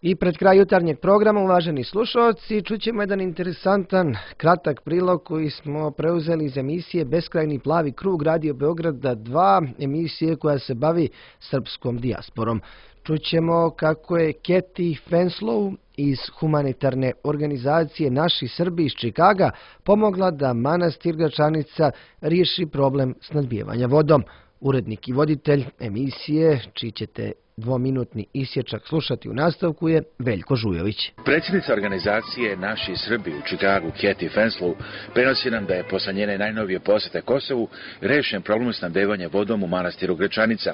I pred kraj jutarnjeg programa, uvaženi slušalci, čućemo jedan interesantan, kratak prilog koji smo preuzeli iz emisije Beskrajni plavi krug Radio Beograda 2, emisije koja se bavi srpskom dijasporom. Čućemo kako je Cathy Fanslow iz humanitarne organizacije Naši Srbi iz Čikaga pomogla da manastir Gračanica riješi problem snadbijevanja vodom. Urednik i voditelj emisije, čiji ćete dvominutni isječak slušati u nastavku, je Veljko Žujović. Predsjednica organizacije Naši Srbi u Čikagu, Cathy Fanslow, prenosi nam da je posle njene najnovije posjete Kosovu rešen problem snabdevanja vodom u manastiru Gračanica.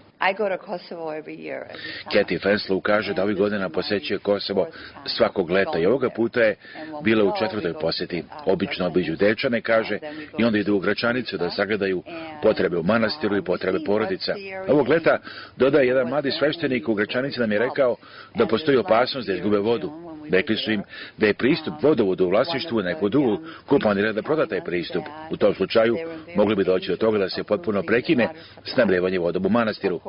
Cathy Fanslow kaže da ovih godina posjećuje Kosovo svakog leta i ovoga puta je bila u 4. posjeti. Obično obiđu Dečane, kaže, i onda idu u Gračanicu da sagledaju potrebe u manastiru i potrebe porodica. Ovog leta, dodaje jedan mladi sveštenik u Gračanici, nam je rekao da postoji opasnost da izgube vodu. Rekli su im da je pristup vodovodu u vlasništvu neko drugo ko planira da proda taj pristup. U tom slučaju mogli bi doći do toga da se potpuno prekine snabdevanje vodom u manastiru.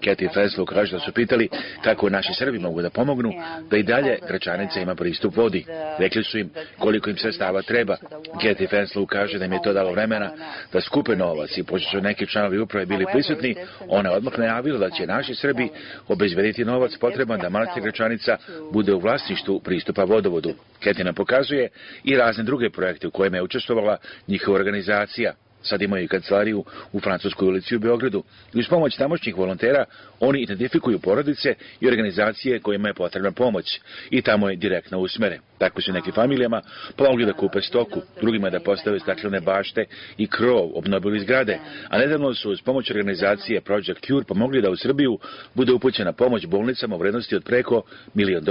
Cathy Fanslow kaže da su pitali kako naši Srbi mogu da pomognu da i dalje Gračanica ima pristup vodi. Rekli su im koliko im sredstava treba. Cathy Fanslow kaže da im je to dalo vremena da skupe novac i pošto su neki članovi uprave bili prisutni, ona je odmah najavila da će naši Srbi obezbediti novac potreban da manastir Gračanica bude u vlasništvu pristupa vodovodu. Cathy nam pokazuje i razne druge projekte u kojima je učestvovala njihova organizacija. Sad imaju i kancelariju u Francuskoj ulici u Beogradu. I uz pomoć tamošnjih volontera oni identifikuju porodice i organizacije kojima je potrebna pomoć i tamo je direktno usmere. Tako su nekim familijama pomogli da kupe stoku, drugima da postave staklene bašte i krov, obnovili zgrade, a nedavno su uz pomoć organizacije Project Cure pomogli da u Srbiju bude upućena pomoć bolnicama u vrednosti od preko $1 milion.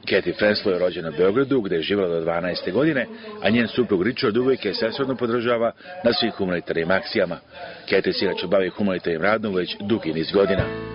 Cathy Fanslow je rođena u Beogradu, gde je živjela do 12. godine, a njen suprug Richard uvijek je svesrdno podržava na svim humanitarnim akcijama. Cathy se inače bavi humanitarnim radom već dugi niz godina.